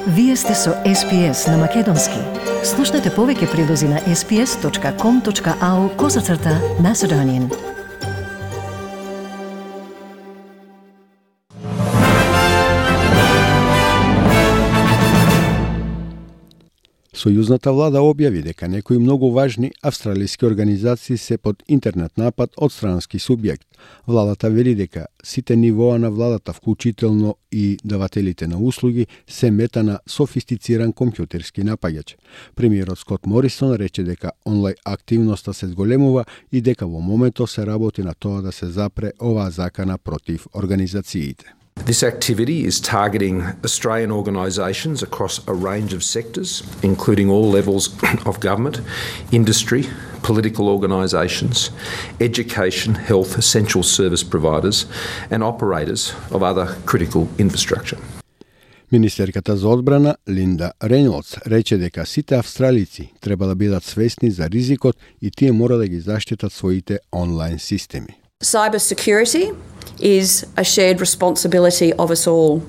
Вие сте со SPS на Македонски. Слушнете повеќе прилози на sps.com.au/Macedonian. Сојузната влада објави дека некои многу важни австралиски организации се под интернет напад од странски субјект. Владата вели дека сите нивоа на владата, вклучително и давателите на услуги, се мета на софистициран компјутерски напаѓач. Премиерот Скот Морисон рече дека онлайн активноста се зголемува и дека во моментот се работи на тоа да се запре оваа закана против организациите. This activity is targeting Australian organisations across a range of sectors, including all levels of government, industry, political organisations, education, health, essential service providers and operators of other critical infrastructure. Министерката за одбрана Линда Рейнолдс рече дека сите австралици треба да бидат свесни за ризикот и тие мора да ги заштитат своите онлайн системи. Cybersecurity is a shared responsibility of us all.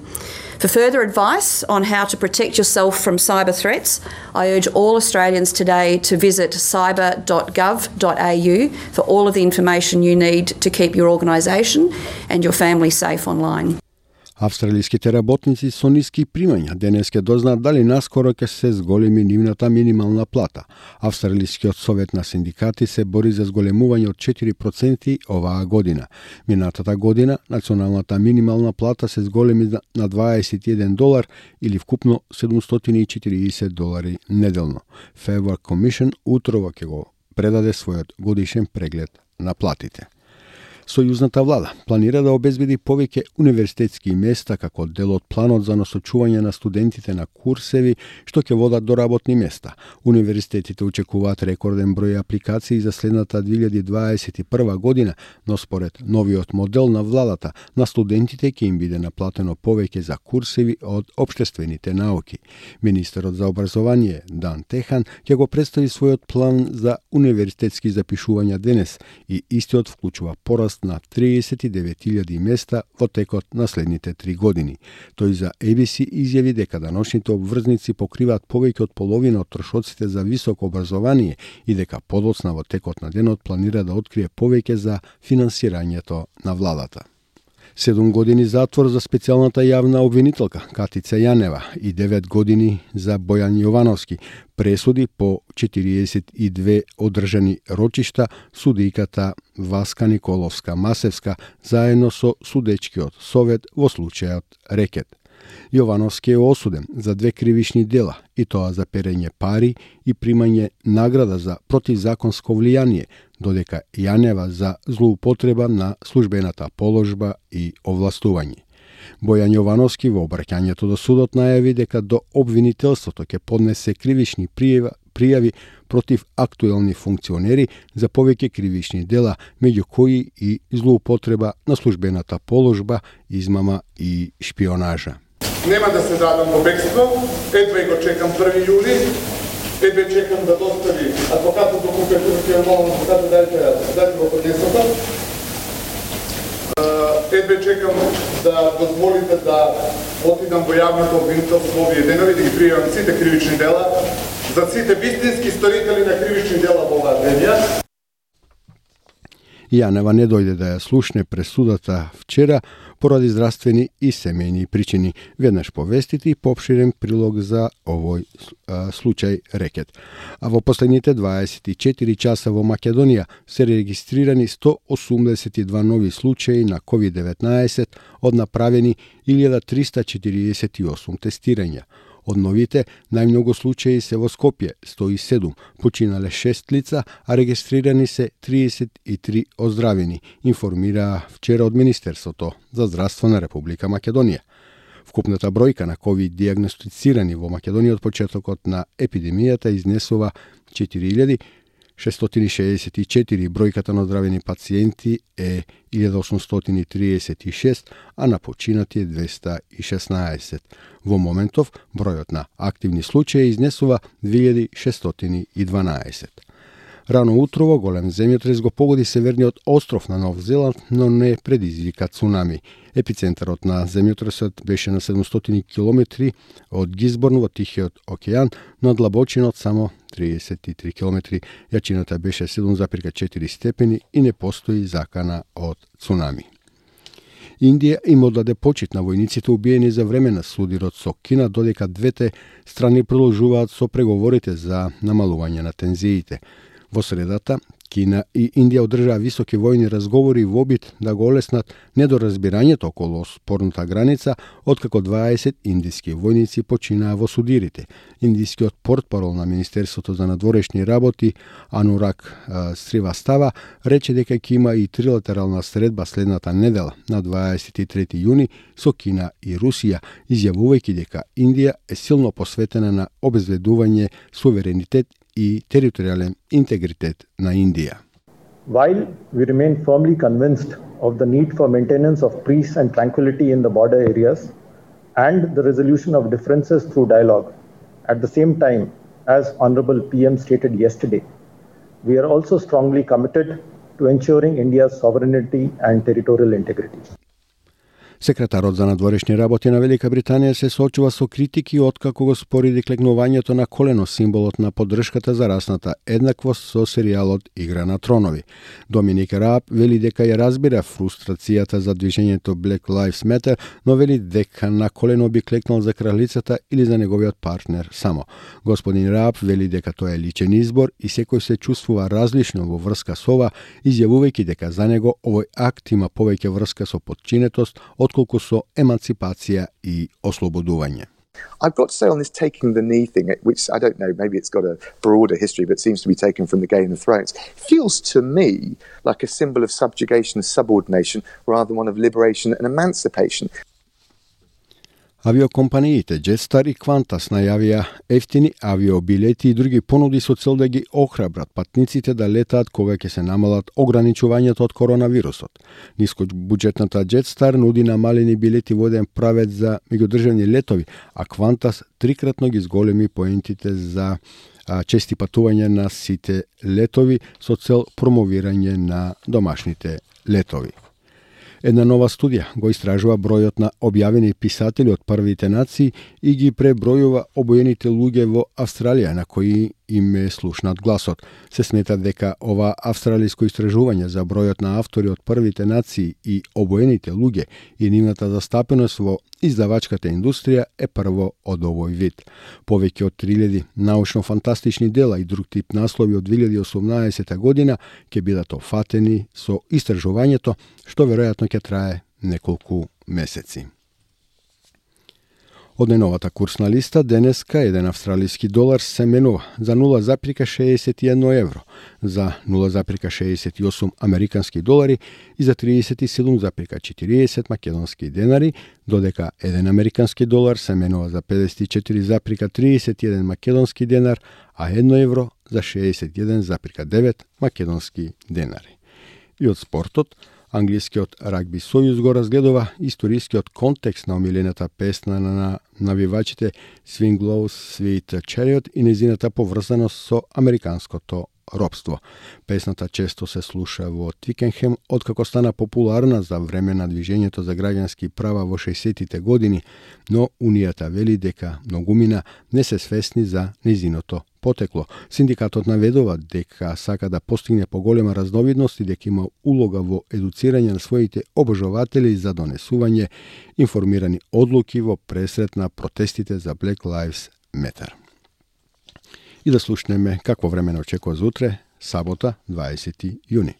For further advice on how to protect yourself from cyber threats, I urge all Australians today to visit cyber.gov.au for all of the information you need to keep your organisation and your family safe online. Австралиските работници со ниски примања денес ќе дознаат дали наскоро ќе се зголеми нивната минимална плата. Австралискиот совет на синдикати се бори за зголемување од 4% оваа година. Минатата година националната минимална плата се зголеми на $21 или вкупно $740 неделно. Fair Work Commission утрово ќе го предаде својот годишен преглед на платите. Сојузната влада планира да обезбеди повеќе универзитетски места како дел од планот за насочување на студентите на курсеви што ќе водат до работни места. Универзитетите очекуваат рекорден број апликации за следната 2021 година, но според новиот модел на владата, на студентите ќе им биде наплатено повеќе за курсеви од општествените науки. Министерот за образование Дан Техан ќе го представи својот план за универзитетски запишувања денес и истиот вклучува пораст на 39.000 места во текот на следните 3 години. Тој за ABC изјави дека даношните обврзници покриваат повеќе од половина од трошоците за високо образование и дека подоцна во текот на денот планира да открие повеќе за финансирањето на владата. 7 години затвор за специјалната јавна обвинителка Катица Јанева и 9 години за Бојан Јовановски, пресуди по 42 одржани рочишта судиката Васка Николовска-Масевска заедно со судечкиот совет во случајот Рекет. Јовановски е осуден за 2 кривични дела, и тоа за перење пари и примање награда за противзаконско влијание, додека Јанева за злоупотреба на службената положба и овластување. Бојан Јовановски во обраќањето до судот најави дека до обвинителството ќе поднесе кривични пријави против актуелни функционери за повеќе кривични дела, меѓу кои и злоупотреба на службената положба, измама и шпионажа. Нема да се дадам во бегство, едва и го чекам 1 јули, едва чекам да достави адвокатот до компјутерот, ќе молам адвокатот дайте го поднесота. Едва чекам да дозволите да отидам во јавното обвинителство овие денови, да ги пријавам сите кривични дела, за сите вистински сторители на кривични дела во оваа земја. Јанева не дојде да ја слушне пресудата вчера поради здравствени и семејни причини. Веднаш повестите и поопширен прилог за овој случај Рекет. А во последните 24 часа во Македонија се регистрирани 182 нови случаи на COVID-19 од направени 1348 тестирања. Од новите, најмногу случаи се во Скопје, 107, починале 6 лица, а регистрирани се 33 оздравени, информира вчера од Министерството за здравство на Република Македонија. Вкупната бројка на COVID диагностицирани во Македонија од почетокот на епидемијата изнесува 4664, бројката на оздравени пациенти е 1836, а на починати е 216. Во моментов, бројот на активни случаи изнесува 2612. Рано утрово голем земјотрес го погоди северниот остров на Нов Зеланд, но не предизвика цунами. Епицентарот на земјотресот беше на 700 км од Гизборн во Тихиот океан, но длабочинот само 33 км. Јачината беше 7,4 степени и не постои закана од цунами. Индија им оддаде почит на војниците убиени за време на судирот со Кина, додека двете страни продолжуваат со преговорите за намалување на тензиите. Во средата, Кина и Индија одржаа високи војни разговори во обид да го олеснат недоразбирањето околу спорната граница, откако 20 индиски војници починаа во судирите. Индискиот портпарол на Министерството за надворешни работи Анурак Сривастава рече дека ќе има и трилатерална средба следната недела на 23 јуни со Кина и Русија, изјавувајќи дека Индија е силно посветена на обезвредување суверенитет и територијален интегритет на Индија. While we remain firmly convinced of the need for maintenance of peace and tranquility in the border areas and the resolution of differences through dialogue, at the same time, as Honorable PM stated yesterday, we are also strongly committed to ensuring India's sovereignty and territorial integrity. Секретарот за надворешни работи на Велика Британија се соочува со критики откако го спореди клегнувањето на колено символот на поддршката за расната еднаквост со серијалот Игра на тронови. Доминик Рааб вели дека ја разбира фрустрацијата за движењето Black Lives Matter, но вели дека на колено би клекнал за кралицата или за неговиот партнер само. Господин Рааб вели дека тоа е личен избор и секој се чувствува различно во врска со ова, изјавувајќи дека за него овој акт има повеќе врска со подчинетост отколку со еманципација и ослободување. I've got to say on this taking the knee thing, which I don't know, maybe it's got a broader history, but seems to be taken from the Game of Thrones, feels to me like a symbol of subjugation and subordination rather than one of liberation and emancipation. Авиокомпаниите Jetstar и Qantas најавија ефтини авиобилети и други понуди со цел да ги охрабрат патниците да летаат кога ќе се намалат ограничувањата од коронавирусот. Нискобуџетната Jetstar нуди намалени билети во еден правец за меѓудржавни летови, а Qantas трикратно ги зголеми поентите за чести патување на сите летови со цел промовирање на домашните летови. Една нова студија го истражува бројот на објавени писатели од првите нации и ги пребројува обоените луѓе во Австралија на кои им е слушнат гласот. Се смета дека ова австралиско истражување за бројот на автори од првите нации и обоените луѓе и нивната застапеност во издавачката индустрија е прво од овој вид. Повеќе од 3000 научно-фантастични дела и друг тип наслови од 2018 година ќе бидат офатени со истражувањето, што веројатно ќе трае неколку месеци. Од најновата курсна листа, денеска еден австралиски долар се менува за 0,61 евро, за 0,68 американски долари и за 37,40 македонски денари, додека еден американски долар се менува за 54,31 македонски денар, а 1 евро за 61,9 македонски денари. И од спортот, Англискиот рагби сојуз го разгледува историскиот контекст на омилената песна на навивачите Swing Low Sweet Chariot и незината поврзаност со американското робство. Песната често се слуша во Твикенхем, откако стана популарна за време на движењето за граѓански права во 60-тите години, но Унијата вели дека многумина не се свесни за незиното потекло. Синдикатот наведува дека сака да постигне поголема разновидност и дека има улога во едуцирање на своите обожуватели за донесување информирани одлуки во пресрет на протестите за Black Lives Matter. И да слушнеме какво време не очекува за утре, сабота, 20 јуни.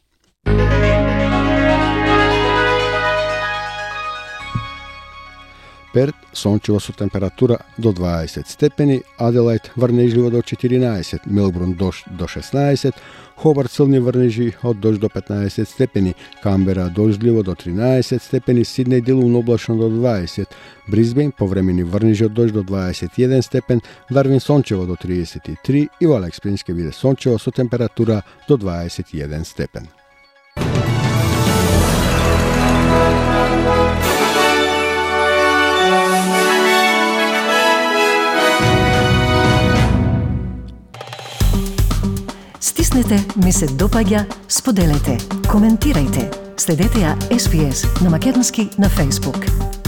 Перт, сончево со температура до 20 степени, Аделајд врнежливо до 14, Мелбурн дожд до 16, Хобарт силни врнежи од дожд до 15 степени, Камбера дождливо до 13 степени, Сиднеј делумно облачно до 20, Брисбејн повремени врнежи од дожд до 21 степен, Дарвин сончево до 33 и во Алекс Спрингс ќе биде сончево со температура до 21 степен. Стисни Кажете, ми се допаѓа, споделете, коментирајте. Следете ја SPS на македонски на Facebook.